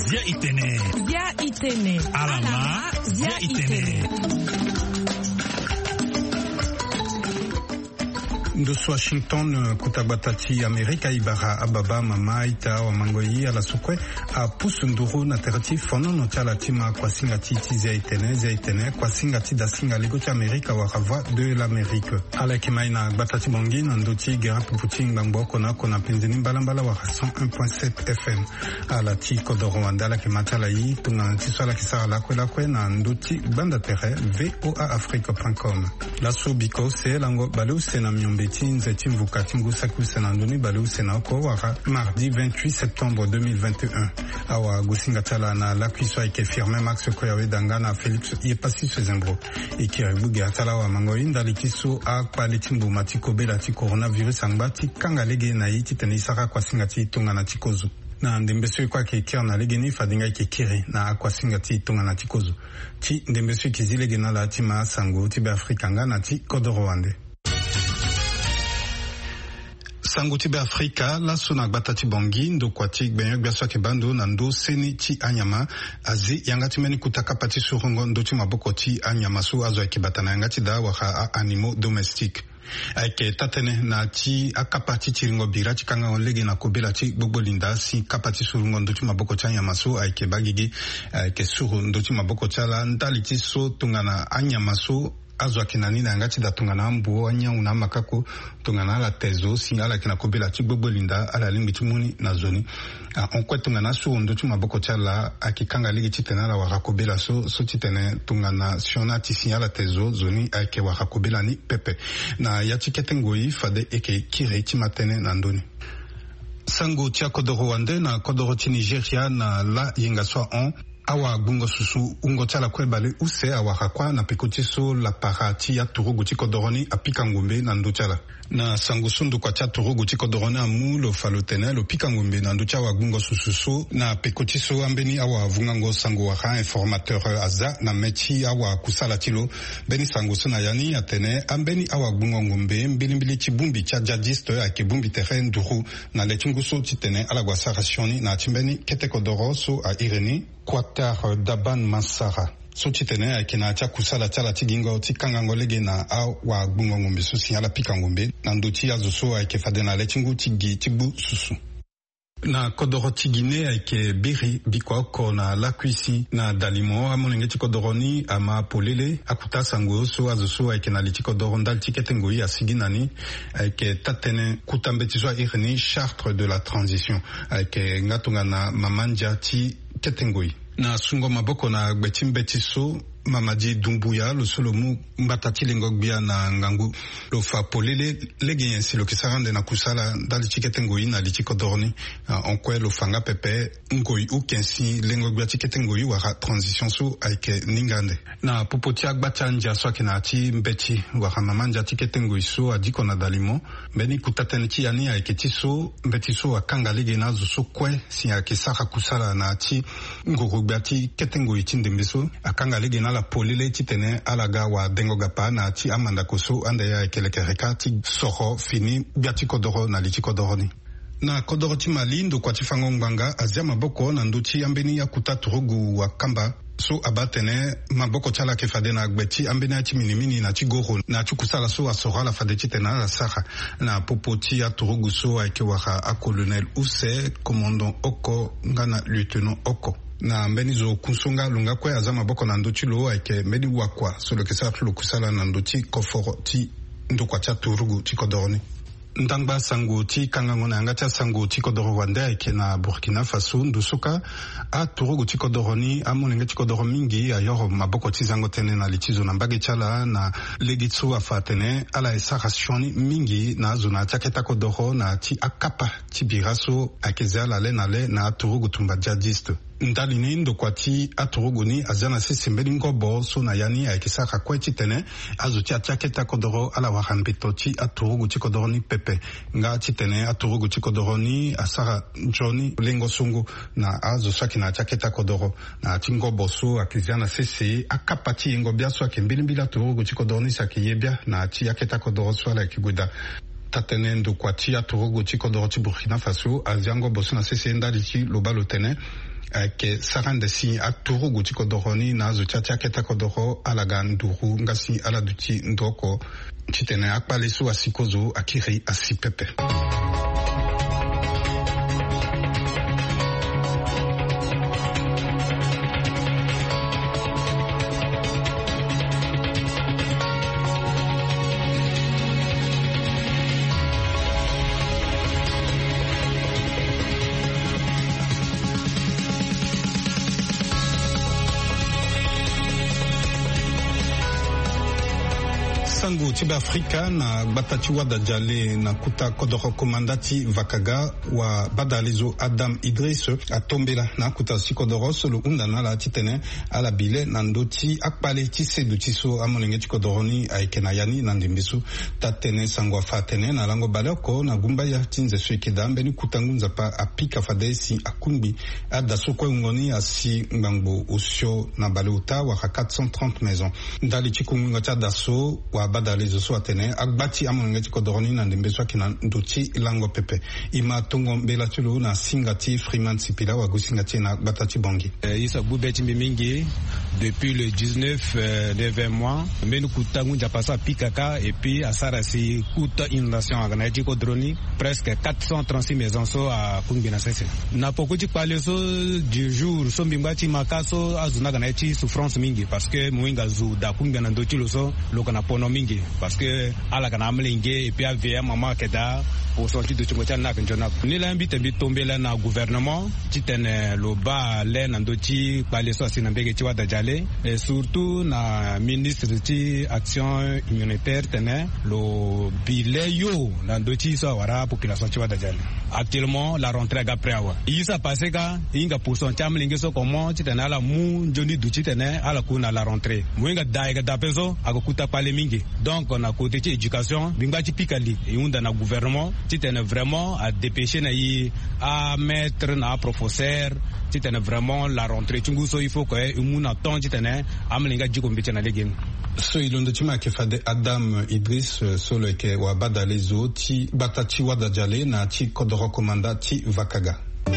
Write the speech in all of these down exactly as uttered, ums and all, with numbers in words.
Zia itene. Zia itene. Alama. Zia itene. Ndoso Washington, kuta gbata ti Amerika, ibara ababa, mama, ita, awamango, yi ala so kue apusu nduru na tere ti fonono ti ala ti ma kuasinga ti ti zia itene, zia itene, kuasinga ti dasinga lego ti Amerika wala Voix de l'Amérique. Ala yeke mai na gbata ti Bangui na ndö ti gere pupu ti ngbangbo oko na oko na penze ni mbalambala wala cent un point sept F M. Ala ti kodoro wande ala yeke ma ti ala yi tongana ti so ala yeke sara lakue lakue na ndö ti gbanda tere V O A Afrique point com. Laso biko use lango baleuse na miombe ti nze ti mvuka ti ngu saki use na ndö ni baleuse na oko wala mardi vingt-huit septembre deux mille vingt et un. Awagosinga ti ala na lakui so ayeke Firmin Max Koyawe Danga na Félix Yepassi Sezembro. E kiri gbu gere ti ala awamango yi ndali ti so akpale ti mbuma ti kobela ti coronavirus angba ti kanga lege na e titene e sara kuasinga ti tongana ti kozo. Na ndembe so e kue ayeke kiri na legeni, fade nga e yeke kiri na akuasinga ti tongana ti kozo ti ndembe so e yeke zi lege na ala ti ma asango ti Beafrika nga na ti kodoro wande. Sango ti Beafrika, laso na gbata ti Bangui, ndokua ti gbenyo-gbia so ayeke baa ndo na ndö seni ti anyama azi yanga ti mbeni kuta kapa ti surungo ndö ti maboko ti anyama so azo ayeke bata na yanga ti daa wala a-animaux domestiques. Ayeke taa-tënë na ya ti akapa ti tiringo bira ti kangango lege na kobela ti gbogbo linda si kapa ti surungo ndö ti maboko ti anyama so ayeke baa gigi, ayeke suru ndö ti maboko ti ala ndali ti so tongana anyama so azo ayeke na ni na yanga ti daa tongana ambuo, anyangu na amakako, tongana ala te zo si ala yeke na kobela ti gbogbo linda ala lingbi ti mu ni na zo ni. Ahon kue tongana asuru ndö ti maboko ti ala ayeke kanga lege titene ala wara kobela so, so titene tongana sioni ati si ala te zo, zo ni ayeke wara kobela ni pepe. Na ya ti kete ngoi fade e yeke kiri ti ma tënë na ndö ni. Sango ti akodoro wande na kodoro ti Nigeria na la yenga so ahon. Awagbungo susu wungo ti ala kue baleuse awara kuâ na peko ti so lapara ti aturugu ti kodoro ni apika ngombe na ndö ti ala. Na sango so ndokua ti aturugu ti kodoro ni amu lo fa lo tene lo pika ngombe na ndö ti awagbungo susu so na peko ti so ambeni awavungango sango wala informateur aza na mê ti awakusala ti lo. Mbeni sango so na ya ni atene ambeni awagbungo ngombe mbilimbili ti bongbi ti ajihadiste ayeke bongbi tere nduru na le ti ngu so titene ala gue asara sioni na ya ti mbeni kete kodoro so a iri ni Quatar Daban Mansara, so titene ayeke na ya ti akusala ti ala ti gingo ti kangango lege na awagbungo ngombe so si ala pika ngombe na ndö ti azo so ayeke fade na le ti ngu ti gi ti gbu susu. Na kodoro ti Guinée ayeke biri bikua oko na lakui si na dalimo amolenge ti kodoro ni ama polele akuta sango so azo so ayeke na li ti kodoro ndali ti kete ngoi asigi na ni. Ayeke taa-tënë kuta mbeti so a iri ni chartre de la transition. Ayeke nga tongana mama ndia ti kete ngoi. Na sungo maboko na gbe ti mbeti so, Mamadi Doumbouya, lo so lo mu mbata ti lengo-gbia na ngangu, lo fa polele lege nyen si lo yeke sara ande na kusala ndali ti kete ngoi na li ti kodoro ni. Ah, ahon kue lo fa nga pepe ngoi uken si lengo-gbia ti kete ngoi wala transition so ayeke ninga ande. Na popo ti agba ti andia so ayeke na ya ti mbeti wala mama ndia ti kete ngoi so adiko na dalimo, mbeni kuta tënë ti ya ni ayeke ti so mbeti so akanga lege na azo so kue si ayeke sara kusala na ya ti nguru-gbia ti kete ngoi ti ndembe so, akanga lege na ala polele titene ala ga wadengo-gapa na ya ti amandako so ande ayeke lekereka ti soro fini gbia ti kodoro na li ti kodoro ni. Na kodoro ti Mali, ndokua ti fango ngbanga azia maboko na ndö ti ambeni akuta turugu wakamba so abaa atene maboko ti ala ayeke fade na gbe ti ambeni aya ti minimini na ti goro na ya ti kusala so asoro ala fade titene ala sara. Na popo ti aturugu so ayeke wara acolonel use, commandant oko nga na lieutenant oko. Na mbeni zo kunso nga lo nga kue azia maboko na ndö ti lo ayeke mbeni wakua so lo yeke sara ti lo kusala na ndö ti koforo ti ndokua ti aturugu ti kodoro ni. Ndangba sango ti kangango na yanga ti asango ti kodoro wande ayeke na Burkina Faso. Ndo so kâ aturugu ti kodoro ni, amolenge ti kodoro mingi ayoro maboko ti zango tënë na li ti zo na mbage ti ala na lege ti so afa atene ala ye sara sioni mingi na azo na ya ti aketa kodoro na ya ti akapa ti bira so ayeke ze ala le na le na aturugu tumba jihadiste. Ndali ni ndokua ti aturugu ni azia na sese mbeni ngobo so na ya ni ayeke sara kue titene azo ti ya ti akete akodoro ala wara mbeto ti aturugu ti kodoro ni pepe. Nga titene aturugu ti kodoro ni asara nzoni lengo songo na azo so ayeke na ya ti akete akodoro na ya ti ngobo so ayeke zia na sese akapa ti yengo-bia so ayeke mbilimbili aturugu ti kodoro ni si ayeke ye bia na ya ti akete akodoro so ala yeke gue daa. Taa-tënë ndokua ti aturugu ti kodoro ti Burkina Faso azia ngobo so na sese ndali ti lo baa lo tene Ayeke sara ande si aturugu ti kodoro ni na azo ti ya ti akete kodoro ala ga nduru nga si ala duti ndo oko. Titene akpale so asi kozo akiri asi pepe. Sango ti Beafrika na gbata ti Wadajale na kuta kodoro komanda ti Vakaga, wa badalezo Adam Idris atombela na akuta si kodoro so lo hunda na ala titene ala bi le na ndö ti akpale ti seduti ti so amolenge ti kodoro ni ayeke na ya ni na ndembe so. Taa-tënë sango afa atene na lango baleoko na gumbaya ti nze so eke daa mbeni kuta ngu nzapa apika fade si akungbi ada so kue wungo ni asi ngbangbo osio na baleota wala quatre cent trente maisons. Ndali ti kungbingo ti ada so, wa badalezo so atene agba ti amolenge ti kodoro ni na ndembe so ayeke na ndö ti lango pepe. E ma tongo mbela ti lo na singa ti Freeman Sipila, wagosinga ti e na gbata ti Bangui. Eh, e so agbu be ti mbi mingi depuis le dix-neuf, euh, de vingt mois. Mbeni kuta ngu nzapa so apika kâ et puis asara si kuta inondation ayeke na ya ti kodro ni. Presque quatre cent trente-six maisons so akungbi na sese. Na poko ti kpale so, du jour so mbi ngba ti ma kâ so, azo ni ayeke na ya ti souffrance mingi parce que mo hinga zo daa akungbi na ndö ti lo so, lo yeke na pono mingi. Parce que ala yeke na amolenge et puis aveillé amama ayeke daa. Poson ti dutingo ti ala ni ayeke nzoni oko. Nilaa mbi tene mbi tombela na gouvernement titene lo baa le na ndö ti kpale so asi na mbege ti Wadajale, et surtout na ministre ti action humanitaire tene lo bi le yo na ndö ti so awara apopulation ti Wadajale. Actuellement la rentrée aga près awe. E so apasse kâ, e hinga poson ti amolenge so comment titene ala mu nzoni duti titene ala ku na la rentrée. Mo hinga daa ayeke daa ape so ayeke kuta kpale mingi. Donc na côté ti éducation mbi ngba ti pika li, e hunda na gouvernement titene vraiment adépêcher na e amaître na aprofesseur titene vraiment la rentrée ti ngu so il faut que e mu na temps titene amolenge adiko mbeti na legeni. So e londo ti ma ayeke fade Adam Idris, eh, so lo yeke wabadale zo ti gbata ti Wadajale na ti kodoro komanda ti Vakaga. E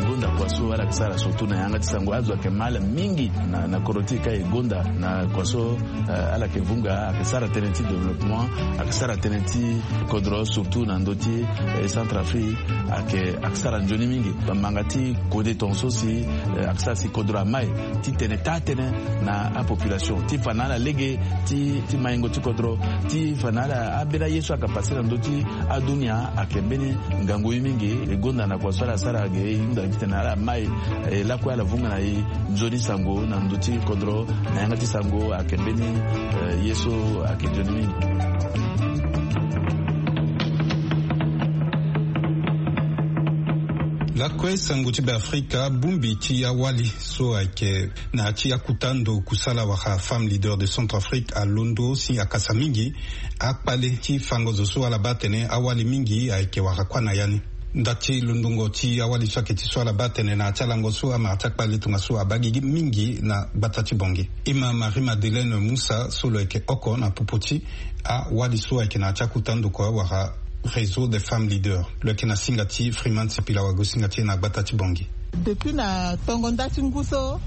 gonda kua so ala yeke sara surtout na yanga ti sango, azo ayeke mal mingi na, na kodro ti e ka e gonda na kua so, eh, ala yeke vunga, ayeke sara tënë ti développement, ayeke sara tënë ti kodro surtout na ndö ti, eh, Centrafrique, ayeke, ayeke sara nzoni mingi. Bamanga ti kode tongaso si, eh, ayeke sara si kodro amai. Titene taa tënë na apopulation ti fa na ala lege ti, ti maingo ti kodro, ti fa na ala ambeni aye so ayeke passe na ndö ti adunia ayeke mbeni ngangu ye mingi. E gonda na kua so ala sara ge e hunda titene ala mai, eh, lakue ala vunga na e nzoni sango na ndö ti kodro na yanga ti sango ayeke mbeni, eh, ye so ayeke nzoni mingi. Lakue sango ti Beafrika, bongbi ti awali so ayeke na ya ti akuta ndo kusala wala femme leader de Centrafrique alondo si akasa mingi akpale ti fango zo so ala baa atene awali mingi ayeke wara kuâ na ya ni. Nda ti londongo ti awali so ayeke ti so ala baa atene na ya ti alango so amara ti akpale tongaso abaa gigi mingi na gbata ti Bangui. E ma Marie Madeleine Moussa so lo yeke oko na popo ti awali so ayeke na ya ti akuta ndo kua wala Réseau des femmes leaders. Lo yeke na singa ti Freeman Sipila, wagosinga ti e na gbata ti Bangui. Depuis na tongo nda ti ngu so,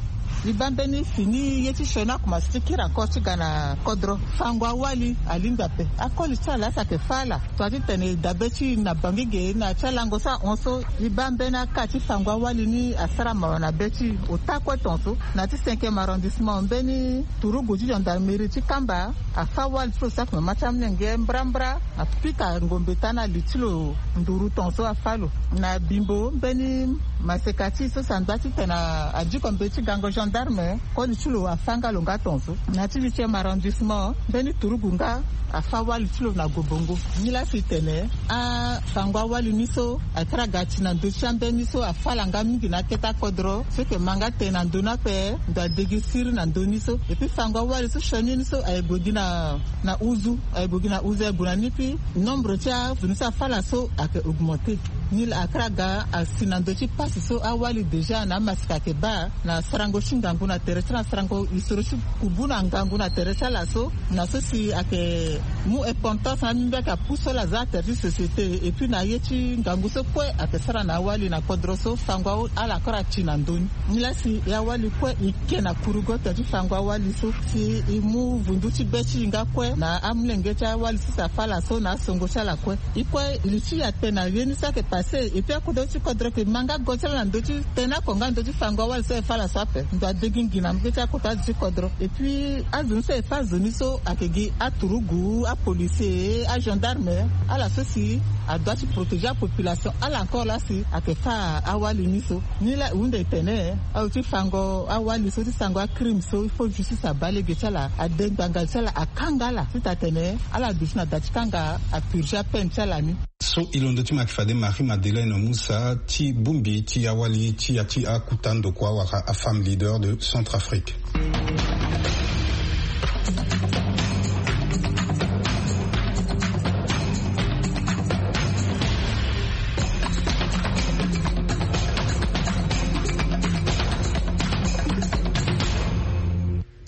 mbi baa mbeni fini ye ti sioni akomanse ti kiri encore ti ga na kodro. Fango awali alingbi ape. Akoli ti ala laa si ayeke fâ ala. Tonga titene e dabe ti e na Bangui ge na ya ti alango so ahon so, mbi baa mbeni aka ti fango awali ni asara mawa na be ti e. Ota kue tongaso na ya ti cinquième arrondissement, mbeni turugu ti gendarmerie ti Kamba afâ wali ti lo so ayeke mama ti amolenge mbrambra. Apika ngombe taa na li ti lo nduru tongaso afâ lo. Na Bimbo, mbeni maseka ti e so si andaa titene adiko mbeti gango gendarme, koli ti lo afâ nga lo nga tongaso. Na ya ti huitième arrondissement, mbeni turugu nga afâ wali ti lo na gobongo. Nilaa si e tene afango awali ni so akiri aga ti na ndö ti ambeni so afâ ala nga mingi na akete akodro. So ayeke ma nga tene na ndö ni ape ndo adegi siriri na ndö ni so. Et puis fango awali so sioni ni so aye gue gi na na uzu, aye gue gi na uzu, aye gue na ni, puis nombre ti azo ni so afâ ala so ayeke augmenter. Ni laa akara ga asi na ndö ti pasi so awali déjà na amasika ayeke baa na sarango ti ngangu na tere ti ala, sarango isoro ti kubu na ngangu na tere ti ala so. Na so si ayeke mu importance na ambi mbi ayeke apusu ala za atere ti société. Et puis na ye ti ngangu so kue ayeke sara na awali na kodro so fango ala akara ti na ndö ni. Ni laa si e awali kue e ke na kurugo tere ti fango awali so si e mu vundu ti be ti e nga kue na amolenge ti awali so si afa ala so na asongo ti ala kue. E kue li ti e atene na ye ni so ayeke pase. Et puis akodro ti kodro ayeke ma nga go ti ala na ndö ti tene oko nga ndö ti fango awali so e fa ala so ape. Ndo adegi ngi na mbege ti akota azo ti kodro. Et puis azo ni so e fa azo ni so ayeke gi aturugu, apolicier, agendarme, ala so si adoit ti protéger apopulation ala encore laa si ayeke fa awali ni so. Ni laa e hunda e tene azo ti fango awali so ti sango acrime so il faut justice abaa lege ti ala, ade ngbanga ti ala, akanga ala ti taa tene ala duti na da ti kanga apurger apeine ti ala ni. So e londo ti ma yeke fade Marie Madeleine Moussa ti bongbi ti awali ti ya ti akuta ndokua wala afemme leader de Centrafrique.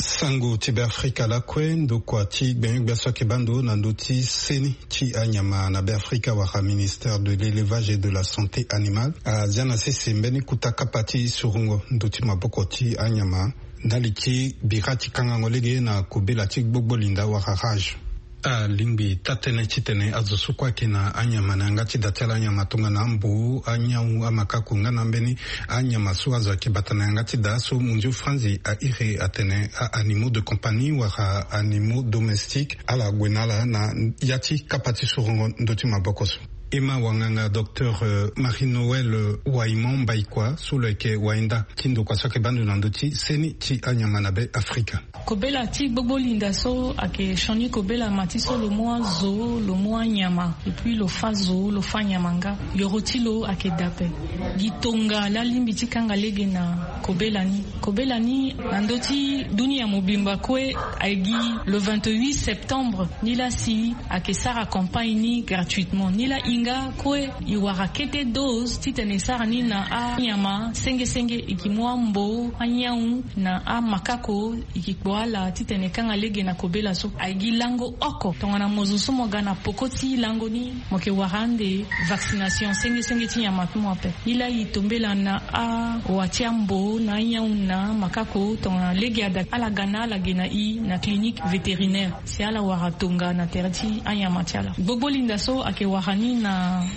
Sango ti Beafrika lakue, ndokua ti gbenyo-gbia so ayeke baa ndo na ndö ti seni ti anyama na Beafrika wala ministère de l'élevage et de la santé animale azia na sese mbeni kuta kapa ti surongo ndö ti maboko ti anyama ndali ti bira ti kangango lege na kobela ti gbogbo linda wala rage. Alingbi taa-tënë titene azo so kue ayeke na anyama na yanga ti da ti ala, anyama tongana ambo, anyangu, amakako nga na ambeni anyama so azo ayeke bata na yanga ti da so mondio franzi airi atene a-animaux de compagnie wala animaux domestiques, ala gue na ala na ya ti kapa ti surongo ndö ti maboko so. E ma wanganga docteur, euh, Marie-Noëlle, euh, Waimon Mbaikua so lo yeke wainda ti ndokua so ayeke baa ndo na ndö ti seni ti anyama na Beafrika. Kobela ti gbogbo linda so ayeke sioni kobela ma ti so lo mu azo, lo mu anyama, et puis lo fa zo, lo fa nyama nga. Yoro ti lo ayeke da ape. Gi tonga laa alingbi ti kanga lege na kobela ni. Kobela ni na ndö ti dunia mobimba kue ayeke gi le vingt-huit septembre. Ni laa si ayeke sara campagne ni gratuitement. Ni laa e nga kue e wara kete dose titene e sara ni na anyama senge senge, e ke mu ambo, anyangu na amakako, e ke kpo ala titene e kanga lege na kobela so. Ayeke gi lango oko tongana mo zo so mo ga na poko ti lango ni, mo yeke wara ande vaccination senge senge ti nyama ti mo ape. Ni laa e tombela na awa ti ambo na anyangu na amakako tongana lege ada ala ga na ala ge na e na clinique vétérinaire. Si ala wara tonga na tere ti anyama ti ala. Gbogbo linda so ayeke wara ni na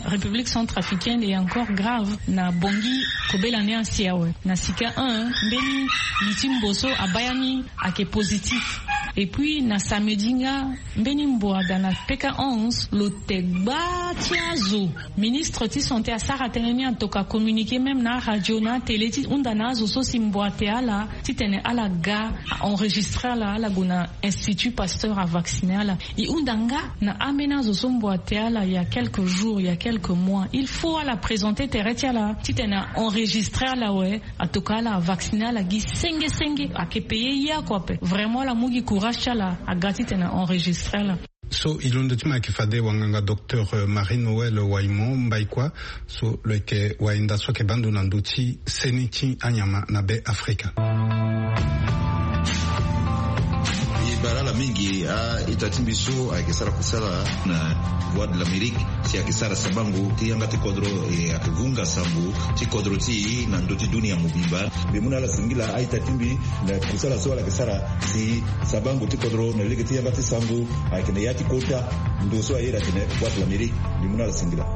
République centrafricaine, et encore grave na Bangui, kobela ni asi awe. Na sika un, mbeni li ti mbo so abaa ya ni ayeke positif. Et puis na samedi nga, mbeni mbo ada na P K onze, lo te gba ti azo. Ministre ti santé asara tënë ni, atoka communiqué même na aradio na atélé ti hunda na azo so si mbo ate ala titene ala ga a enregistré ala, ala gue na Institut Pasteur avacciner ala. E hunda nga na ambeni azo so mbo ate ala il y a quelques jours, il y a quelques mois. Il faut ala présenter tere ti ala titene a enregistré ala awe, atoka ala avacciner ala gi senge senge. Ayeke payer ye oko ape. Vraiment ala mu gi courage ti ala aga titene a enregistré ala. So e londo ti ma ayeke fade wanganga docteur, euh, Marie-Noëlle Waimon Mbaikua, so lo yeke wainda so ayeke baa ndo na ndö ti seni ti anyama na Beafrika. E bara ala mingi a-ita ti mbi so ayeke sara kusala na Voix de l'Amérique, si ayeke sara sabango ti yanga ti kodro, e ayeke vunga sango ti kodro ti e na ndö ti dunia mobimba. Mbi mu na ala singila a-ita ti mbi na kusala so ala yeke sara si sabango ti kodro na lege ti yanga ti sango ayeke na ya ti kota ndo so aye atene Voix de l'Amérique. Mbi mu na ala singila.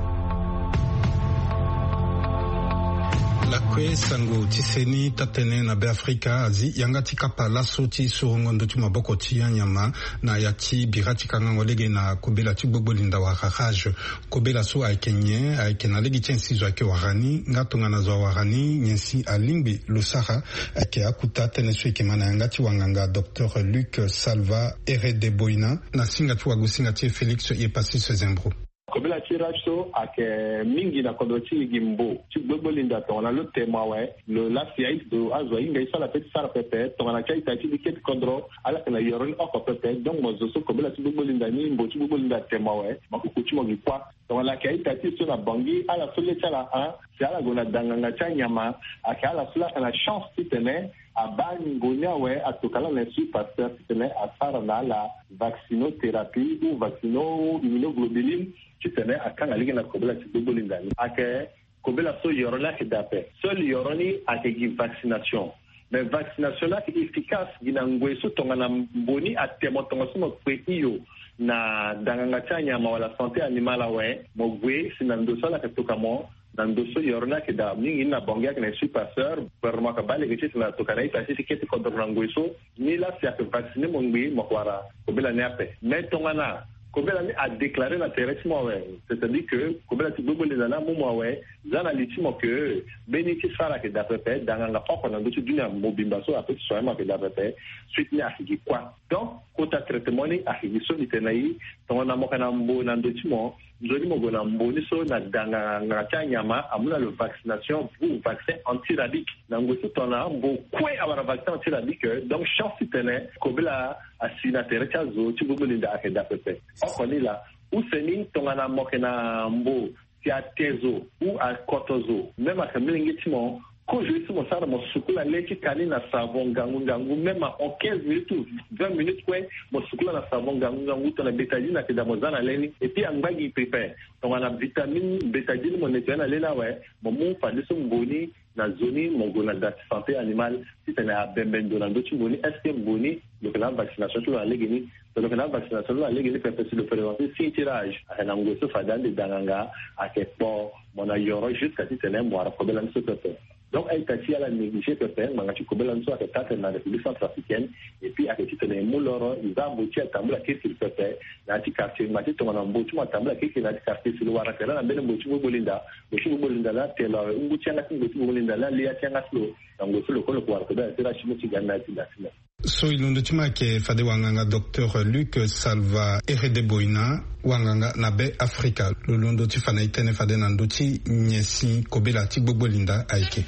Lakue sango ti seni taa-tënë na Beafrika azi yanga ti kapa laso ti sorongo ndö ti maboko ti anyama na ya ti bira ti kangango lege na kobela ti gbogbo linda wala rage. Kobela so ayeke nyen? Ayeke na lege ti nyen si zo ayeke wara ni, nga tongana zo awara ni nyen si alingbi lo sara? Ayeke akuta tënë so e yeke ma na yanga ti wanganga docteur Luc Salva Eredeboina na singa ti wagosinga ti e Félix Epasis Zembro. Kobela ti rage so ayeke mingi na kodro ti e gi mbo ti gbogbo linda tongana lo te mo awe, lo lasi aye zo, azo ahinga ye so ala pe ti sara pepe tongana ti a-ita ti mbi kete kodro ala yeke na yoro ni oko pepe. Donc mo zo so kobela ti gbogbo linda ni, mbo ti gbogbo linda te mo awe, makoko ti mo gi kuâ. Tongana ayeke a-ita ti e so na Bangui, ala so le ti ala, a si ala gue na danganga ti anyama, ayeke ala so laa ayeke na chance titene abaa ni ngboni awe, atoka laa na Institut Pasteur titene asara na ala vaccinothérapie ou vaccino immunoglobuline titene akanga lege na kobela ti gbogbo linda ni. Ayeke kobela so yoro ni ayeke daa ape. Seul yoro ni ayeke gi vaccination. Mais vaccination ni ayeke efficace gi na ngoi so tongana mbo ni ate mo tongaso mo kpe hio na danganga ti anyama wala santé animale awe, mo gue si na ndo so ala yeke toka mo. Na ndo so yoro ni ayeke daa mingi ni na Bangui ayeke na Institut Pasteur, gouvernement ayeke baa lege titene atoka na a-ita ti e ti kete kodoro na ngoi so. Ni laa si ayeke vacciner mo ngbii, mo yeke wara kobela ni ape. Mais tongana kobela ni adéclarer na tere ti mo awe, c'est-à-dire que kobela ti gbogbo linda ni amu mo awe, za na li ti mo que mbeni ti sara ayeke daa pepe, danganga oko na ndö ti dunia mobimba so ape ti soigner mo ayeke daa pepe, suite ni ayeke gi kua. Donc kota traitement ni ayeke gi so mbi tene na e. Tongana mo yeke na mbo na ndö ti mo, nzoni mo gue na mbo ni so na danganga ti anyama amu na lo vaccination ou vaccin antirabique. Na ngoi so tongana mbo kue awara vaccin antirabique, donc chance titene kobela asi na tere ti azo ti gbogbo linda ayeke daa pepe. Oko ni laa. Use ni tongana mo yeke na mbo si ate zo ou akoto zo, même ayeke molenge ti mo, kozo ye so mo sara, mo sukula le ti ka ni na savon ngangu ngangu, même ahon quinze minutes ou vingt minutes kue, mo sukula na savon ngangu ngangu tongana bétadine ayeke daa, mo za na le ni. Et puis angba gi pepe, tongana vitamine bétadine mo nettoyer na le ni awe, mo mu fadeso mbo ni na zo ni, mo gue na da ti santé animale titene abembe ndo na ndö ti mbo ni. Est-ce que mbo ni lo yeke na avaccination ti lo na legeni? So lo yeke na avaccination ti lo na legeni pepe, si lo présenter signe ti rage, ayeke na ngoi so fade ande danganga ayeke kpo mo na yoro jusqu'à titene mo wara kobela ni so pepe. Donc a-ita ti e ala négliger pepe ngbanga ti kobela ni so ayeke taa tene na République centrafricaine. Et puis ayeke titene e mu loro, e za mbo ti e atambula kirikiri pepe na ya ti quartier. Ngbanga ti tongana mbo ti mo atambula kirikiri na ya ti quartier, si lo wara tere na mbeni mbo ti gbogbo linda, mbo ti gbogbo linda laa ate lo awe, ngu ti yanga ti mbo ti gbogbo linda laa li ya ti yanga ti lo. Na ngoi so lo kue lo yeke wara kobela ti rage ti mo ti ga ni na ya ti da ti mo. So e londo ti mo ayeke fade wanganga docteur Luc Salva Eredeboina, wanganga na Be Afrika. Lo londo ti fa na e tënë fade na ndö ti nyen si kobela ti gbogbo linda ayeke.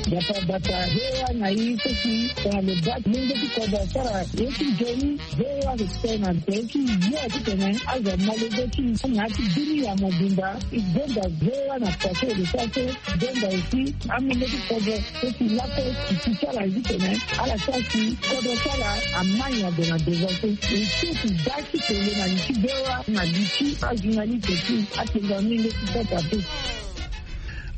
Bata bata, V O A na e so si tongana lo baa ti lenge ti kodro asara ye ti nzoni, V O A respect na tere ti ye titene azo amolenge ti e na ya ti bini ya mobimba. E gonda V O A na pase e lo sara so, e gonda aussi amolenge ti kodro so si lakue ti ti ti ala ye titene ala sara si kodro ti ala ama nyon gue na devant so. E so ti baa ti tene na li ti V O A na li ti ajournaliste ti atenga molenge ti kota te.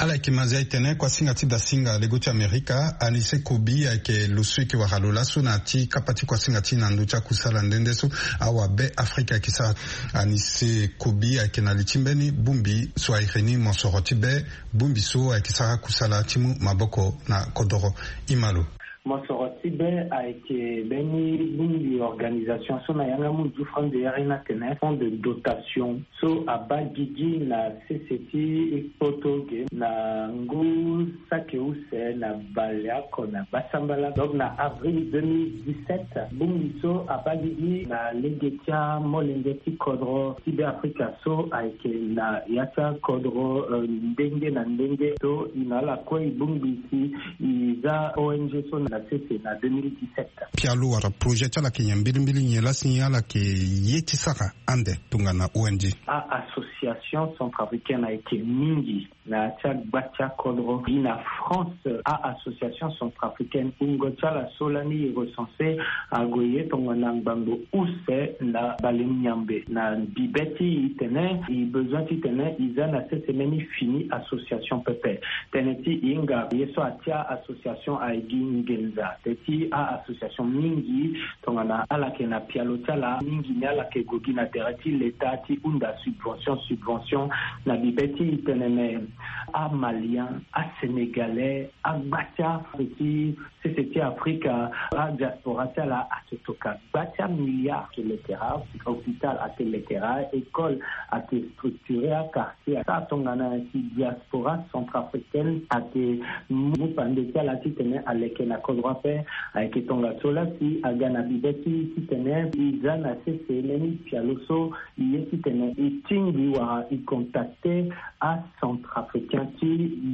Ala yeke mazia e tene kuasinga ti dasinga lego ti Amerika, Anise Kobi ayeke lo so e yeke wara lo laso na ya ti kapa ti kuasinga ti e na ndö ti akusala nde nde so awabe Afrika ayeke sara. Anise Kobi ayeke na li ti mbeni bongbi so ayeke ni mosoro ti be, bongbi so ayeke sara kusala ti mu maboko na kodoro. E ma lo. Mosoro ti be ayeke mbeni bongbi organisation so na yanga munzu franc de yari ni atene fonds de dotation so abaa gigi na sese ti poto ge na ngu saki use na baleoko na basambala. Donc na avril deux mille dix-sept, bongbi so abaa gigi na lege ti amolenge ti kodro ti Be Afrika so ayeke na ya ti akodro, euh, ndenge na ndenge so e na ala kue e bongbi si e za O N G so na sese na deux mille dix-sept. Pialo wala projet ti ala ayeke nyen mbilimbili, nyen laa si ala yeke ye ti sara ande tongana O N G? A-association centrafricaine ayeke mingi na ya ti agba ti akodro. Gi na France, a-association centrafricaine, wungo ti ala so lani e recenser ague ye tongana ngbangbo use na bale miambe na bibe ti e tene e besoin titene e za na sese mbeni fini association pepe. Tënë ti e hinga ye so atia association ayeke gi nginza. Tënë ti a-association mingi tongana ala yeke na pialo ti ala, mingi ni ala yeke gue gi na tere ti leta ti hunda subvention, subvention na bibe ti e tene me amalien, asénégalais, agba ti ape ti sese ti Afrika, adiaspora ti ala ake toka gba ti amilliard. Ake letera, hôpital ake letera, école ake structuré, aka ti asa tongana si diaspora centrafricaine ake mu pande ti ala titene aleke na kodro ape. Ayeke tongaso laa si aga na bibe ti titene e za na sese mbeni pialo so e ye titene e tingbi wala e contacter acentrafricain. Ti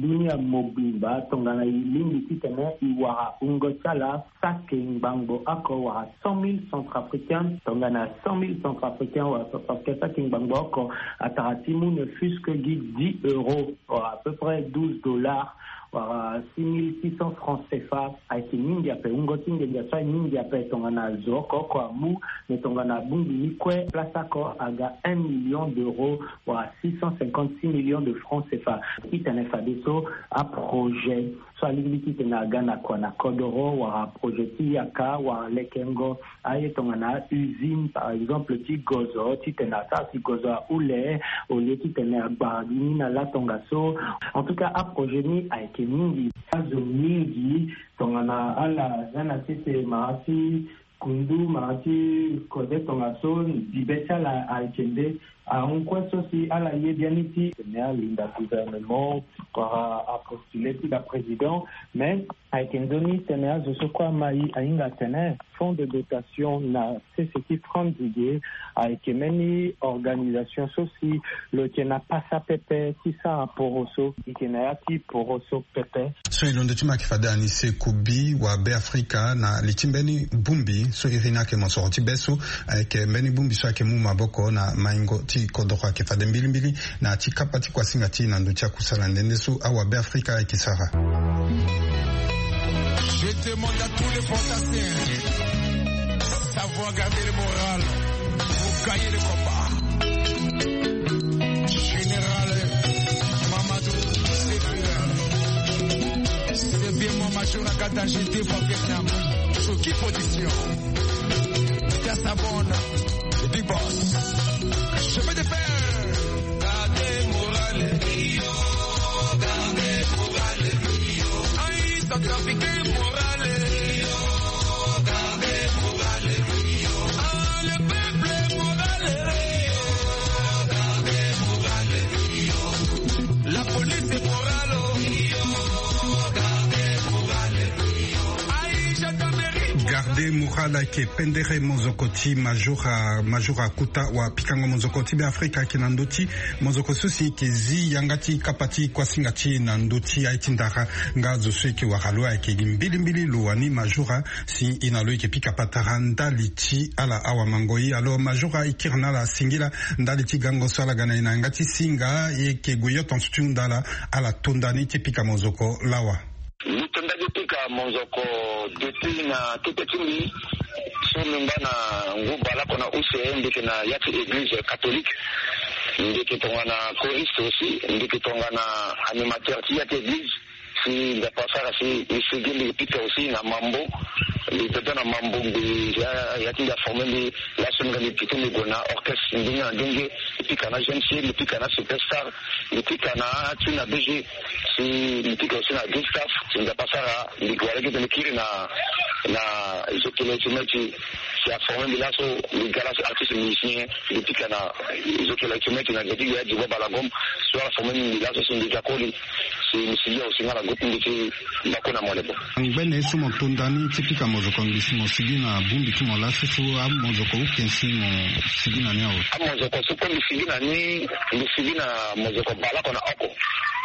dunia mobimba tongana e lingbi titene e wara wungo ti ala saki ngbangbo oko wala cent mille centrafricains, tongana cent mille centrafricains wala centrafricains saki ngbangbo oko, atara ti mu ne fût-ce que gi dix euros wala à peu près douze dollars wala six mille six cents francs cfa. Ayeke mingi ape, wungo ti nginza so aye mingi ape tongana zo oko oko amu, me tongana abongbi ni kue place oko aga un million d'euros wala six cent cinquante-six millions de francs cfa. Titene fadeso aprojet so alingbi titene aga na kua na kodoro wala projet ti yaka wala lekengo aye tongana usine par exemple ti gozo titene asara si gozo ahule au lieu titene agbara gi ni na latongaso. En tout cas aprojet ni ayeke mingi. Azo mingi tongana ala za na sese mara ti kundu mara ti kode tongaso bibe ti ala ayeke nde ahon kue so si ala ye biani ti tene alinda gouvernement wala apostule ti da président. Mais ayeke nzoni tene azo so kue ama e ahinga atene fonds de dotation na sese ti franc nzige ayeke mbeni organisation so si lo yeke na pasa pepe ti sara poroso. E yeke na ya ti poroso pepe. So e londo ti ma ayeke fade anise kubi wa beafrika na li ti mbeni bongbi so iri ni ayeke mosoro ti be so ayeke mbeni bongbi so ayeke mu maboko na maingo ti kodoro ayeke fade mbilimbili na ya ti kapa ti kuasinga ti e na ndö ti akusala nde nde so awa beafrika ayeke sara. Je demande à tous les fantassins savoir garder le moral pour gagner le combat. Général Mamadou Sekou, c'est bien mon major à Kata, j'étais au Vietnam. Sur qui position? Dans sa bonne, Big Boss. Chemin de fer. Gardez moral, gardez moral. Aïe, centrafricain moral. Garde moral ayeke pendere mozoko ti majora majora kuta wa pikango mozoko ti be afrika ayeke na ndö ti mozoko so si eke zi yanga ti kapa ti kuasinga ti e na ndö ti aye ti ndara. Nga zo so eke wara lo ayeke gi mbilimbili lo wani majora si e na lo eke pika patara ndali ti ala awamango e. Alors majora e kiri na ala singila ndali ti gango so ala ga na e na yanga ti singa e yeke gue yo tonso ti hunda ala. Ala tonda ni ti pika mozoko lawa. Mbi tonda ti pika mozoko depuis na kete ti mbi so mbi ngba na ngu baleoko na use mbi yeke na ya ti église catholique. Mbi yeke tongana choriste aussi, mbi yeke tongana animateur ti ya ti église. Si mbi apasara si mbi sigi mbi pika aussi na mambo. Mbi dodo na mambo mbi ya ti mbi aforme mbi laso mbi ga mbi pika mbi gue na orchestre ndenge na ndenge. Mbi pika na jeune fille, mbi pika na superstar, mbi pika na tuna bg. Si mbi pika aussi na gustaf. Si mbi apasara mbi gue wala gete mbi kiri na na zokele ti meti. Si aforme mbi laso mbi ga laso artiste musicien. Mbi pika na zokele ti meti na geti ya dibo balagom. So aforme mbi laso si mbi ga koli. Si mbi sigi aussi nga na groupe mbi ti mbako na mole bo. Ngbene so mo tonda ni ti pika mozoko ngbi si mo sigi na bongbi ti mo laso so amozoko uken si mo sigi na ni awe? Amozoko so kue mbi sigi na ni mbi sigi na mozoko baleoko na oko.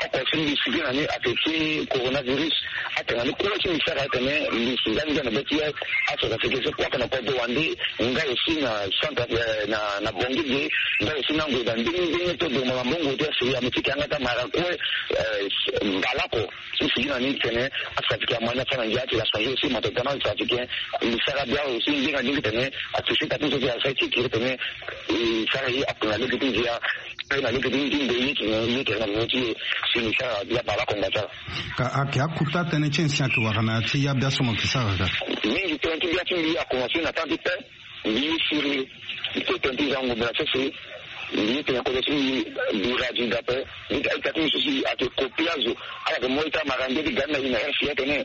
Oko so mbi sigi na ni ayeke ti coronavirus. Atene ni kue ti mbi sara atene mbi sigi ande na be ti acentrafricain so kue ake na kodro wande. Nga aussi na centre na na bongi ge. Nga aussi na ngoi na ndenge ndenge to dongba na mbongo ti asiri ami ti ke yanga ti amara kue. Baleoko so sigi na ni tene acentrafricain amani afa na ngia ti la changer aussi moto tana acentrafricain. Mbi sara bia aussi ndenge na ndenge tene atouche kati so ti asara ti kiri tene e sara ye akuna lege ti ndia. Pe na lege ti ndia ye ti ndia ye tene na mo ti ye. Si mbi sara bia baleoko ngba ti ala. Ka ake akuta tënë ti nyen si ake wara na ya ti ya bia so mo yeke sara ka? Mingi tënë ti bia ti mbi akomanse na temps ti pe. Mbi ye siri mbi te tënë ti zango mbi na sese. Mbi ye tene kodro ti mbi bira dinda ape. Mbi ga ita ti mbi so si ake kopi azo ala yeke mo ita mara nde ti ga ni na e na rfi atene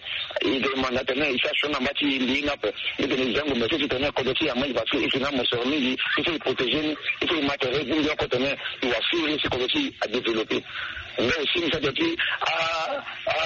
e ga e manda tene e sara sioni na mba ti mbi ye ni ape. Mbi tene e zango mbi na sese tene kodro ti e amai parce que e si na mosoro mingi. So so e protégé ni. So so e ma tere bongbi oko tene e wa siri si kodro ti e adéveloppé. Nga aussi mbi sa dia ti a a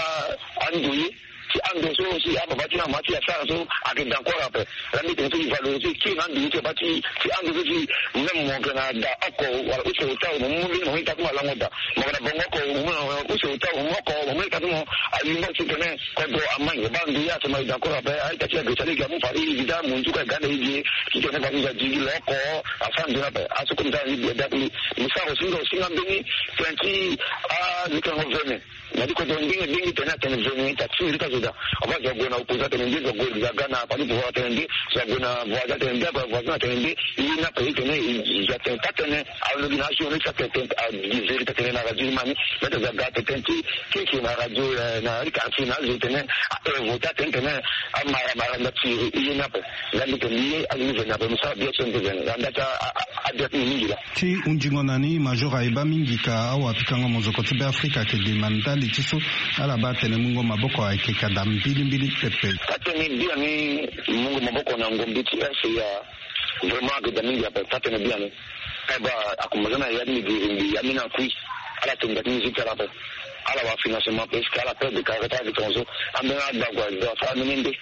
andoye. Ti ando so si ababa ti na mama ti asara so ayeke da encore ape. Laa mbi tene so e valoriser kiri na ando so ti ababa ti ti ando so si même mo yeke na da oko wala use ota mo mu mbeni mo mu ye ta ti mo alango da. Mo yeke na bongo oko mo mu na use ota mo mu oko mo mu ye ta ti mo. Alingo ti tene kodro amai ba ndo ye atema e da encore ape. Aita ti agresa lege amu fari e da mo nzu ka e ga na e ge ti tene fari e da digi lo oko. Afa ndo ni ape aso comme ça e da kuli. Mo sara osinga osinga mbeni tene ti azikango vene. Na di kodro ndenge ndenge tene atene vene ita ti mbi ka zo daa. Ava zo ague na opposant atene nde, zo ague zo aga na parti pouvoir atene nde, zo ague na voisin atene nde, ague na voisin atene nde. Ye ni ape e tene e zo atene taa tënë. Alobi na ajournée ti atene tënë adi vérité atene na radio ni ma ni. Mbi ata zo aga atene tënë ti keke na radio na ri quartier na azo e tene a inventer atene tene amara mara nda ti ye ni ape. Nga mbi tene mbi ye azo ni vene ape mbi sara bien so mbi vene na nda ti a. Adia ti mbi mingi laa. Ti hunzingo na ni major ayeba mingi ka awapikango mozoko ti Beafrika ayeke de ma ndali ti so ala baa atene mungo maboko ayeke ka daa mbilimbili pepe. Taa tënë biani mungo maboko na ngombi ti R C A vraiment ayeke daa mingi ape. Taa tënë biani. Aye baa akomanse na ya ti mbi giri mbi ya mbi na kui. Ala tene daa ti mbi ti ala ape. Ala wara financement parce que ala perdre carré ti ala ti tongaso. Ambeni ala gba ague azo asara mbeni nde.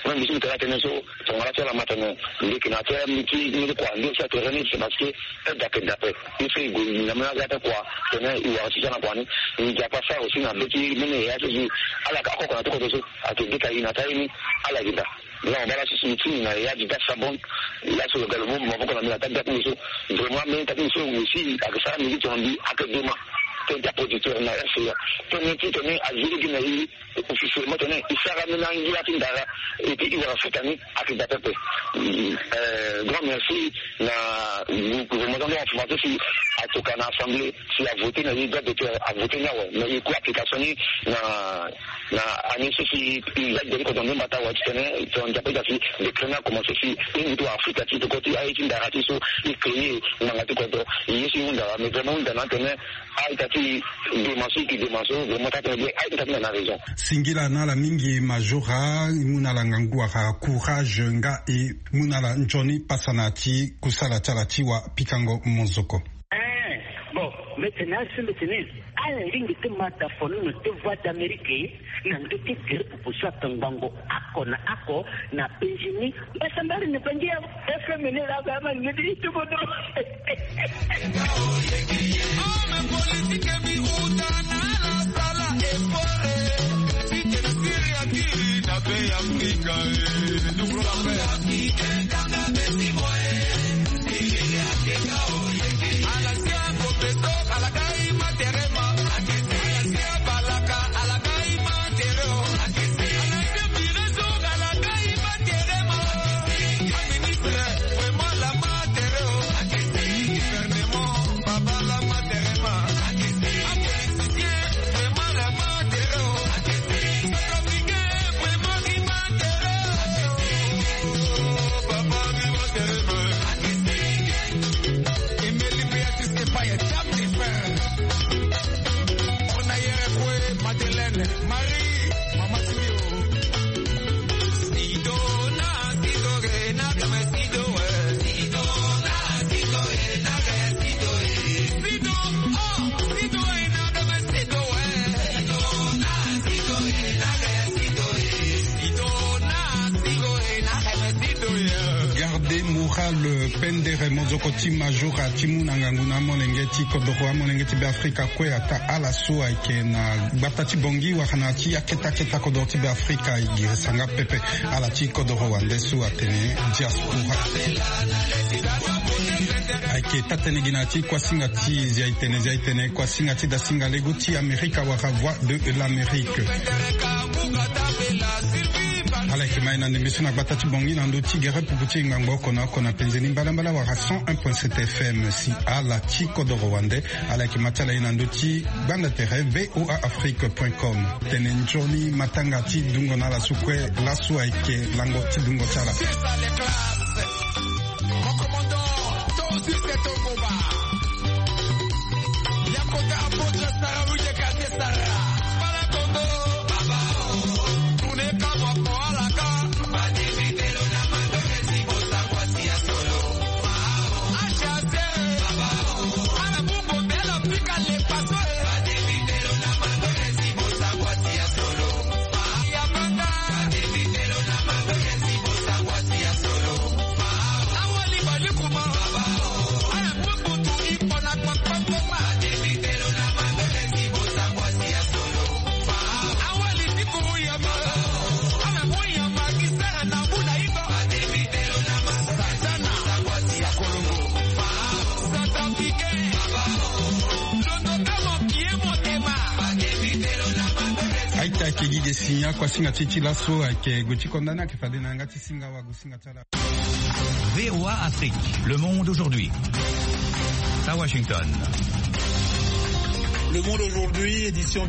Même mbi so mbi tene atene so tongana ti ala ma tene mbi yeke na tere mbi ti mbi ti kua nde si atere ni c'est parce que aide ayeke daa ape. Ye so e gue na mbeni aza ti kua tene e wara ti ti ala na kua ni. Nzapa asara aussi na be ti mbeni yaya so si ala yeke akoko na ti kodro so ayeke ge ka e na taa ye ni. Ala yeke daa. Nga mo baa laso si mbi ti ni na yaya ti da sabon. Laso lo ga lo mu maboko na mbi na taa da ti mbi so. Vraiment mbeni taa ti mbi so aussi ayeke sara mbi ti tongana mbi ayeke dema. Tene ti aproducteur na R C A tene ti tene azi lege na e. Officiellement tene e sara mbeni angia ti ndara. Et puis e wara futa ni ayeke daa pepe. Grand merci na gouvernement ti ando en français si atoka na assemblée si avote na ye droit d'auteur avote ni awe mais e ku application ni na na année so si e za gi da ti kodro nde mbata awe ti tene tongana nzapa e daa si décret ni akomanse si e ngu ti wara futa ti toko ti aye ti ndara ti so e créer ngbanga ti kodro. E ye so e hunda awe mais vraiment e hunda na atene. Aita ti dema so e ke dema so vraiment taa tënë bien aita ti na na raison. Singila na ala mingi majora e mu na ala ngangu wala courage nga e mu na ala nzoni pasa na ya ti kusala ti ala ti wapikango mozoko. Eh, bon, mbi tene asi mbi tene ala lingbi ti ma da fono na deux voix d'Amérique. Na ndö ti gere pupu so atongbango oko na oko na penzi ni. Mbasambari na penzi ya F M ni laa ba ma ni ti tubo do. Homme politique bi uta na ala sala effort. Si tene siri akiri na be Afrika. Madeleine, Marie, Mama Sio. Sido na Sido re na kame Sido, eh. Sido na Sido re na kame Sido, eh. Sido, oh, Sido re na kame Sido, eh. Sido na Sido re na kame Sido, eh. Sido na Sido re na kame Sido, eh. Garder moral, euh, pendere mozoko ti majora ti mu na ngangu na amolenge ti kodoro, amolenge ti Beafrika kue ata ala so ayeke na gbata ti Bangui wala na ya ti akete akete kodoro ti Beafrika e girisa nga pepe. Ala ti kodoro wande so atene diaspora. Ayeke taa-tënë gi na ya ti kuasinga ti Zia-e-tene, Zia-e-tene, kuasinga ti dasinga lego ti Amerika wala Voix de l'Amérique. Ala yeke ma e na ndembe so na gbata ti Bangui na ndö ti gere pupu ti e ngbangbo oko na oko na penze ni mbalambala wala cent un point sept F M. Si ala ti kodoro wande, ala yeke ma ti ala e na ndö ti gbanda tere V O A Afrique point com. Tene nzoni matanga ti dungo na ala so kue laso ayeke lango ti dungo ti ala. Mon commandant, Tozi Seto Goba. Yakota apôtre Sarah, Louis de Kazé Sarah. Bala Congo, Baba, oh. Tune kama kwa alaka. Badi vitelo na mando esi bosa kwa tia solo. H A C, Baba, oh. Ala bungo bela pika le paso, eh. Badi vitelo na mando esi bosa kwa tia solo. Ah, ya banga. Aita, ayeke gi ge si akuasinga ti e ti laso ayeke gue ti konda ni ayeke fade na yanga ti singa wago singa ti ala. V O A Afrique, le monde aujourd'hui. À Washington. Le monde aujourd'hui, édition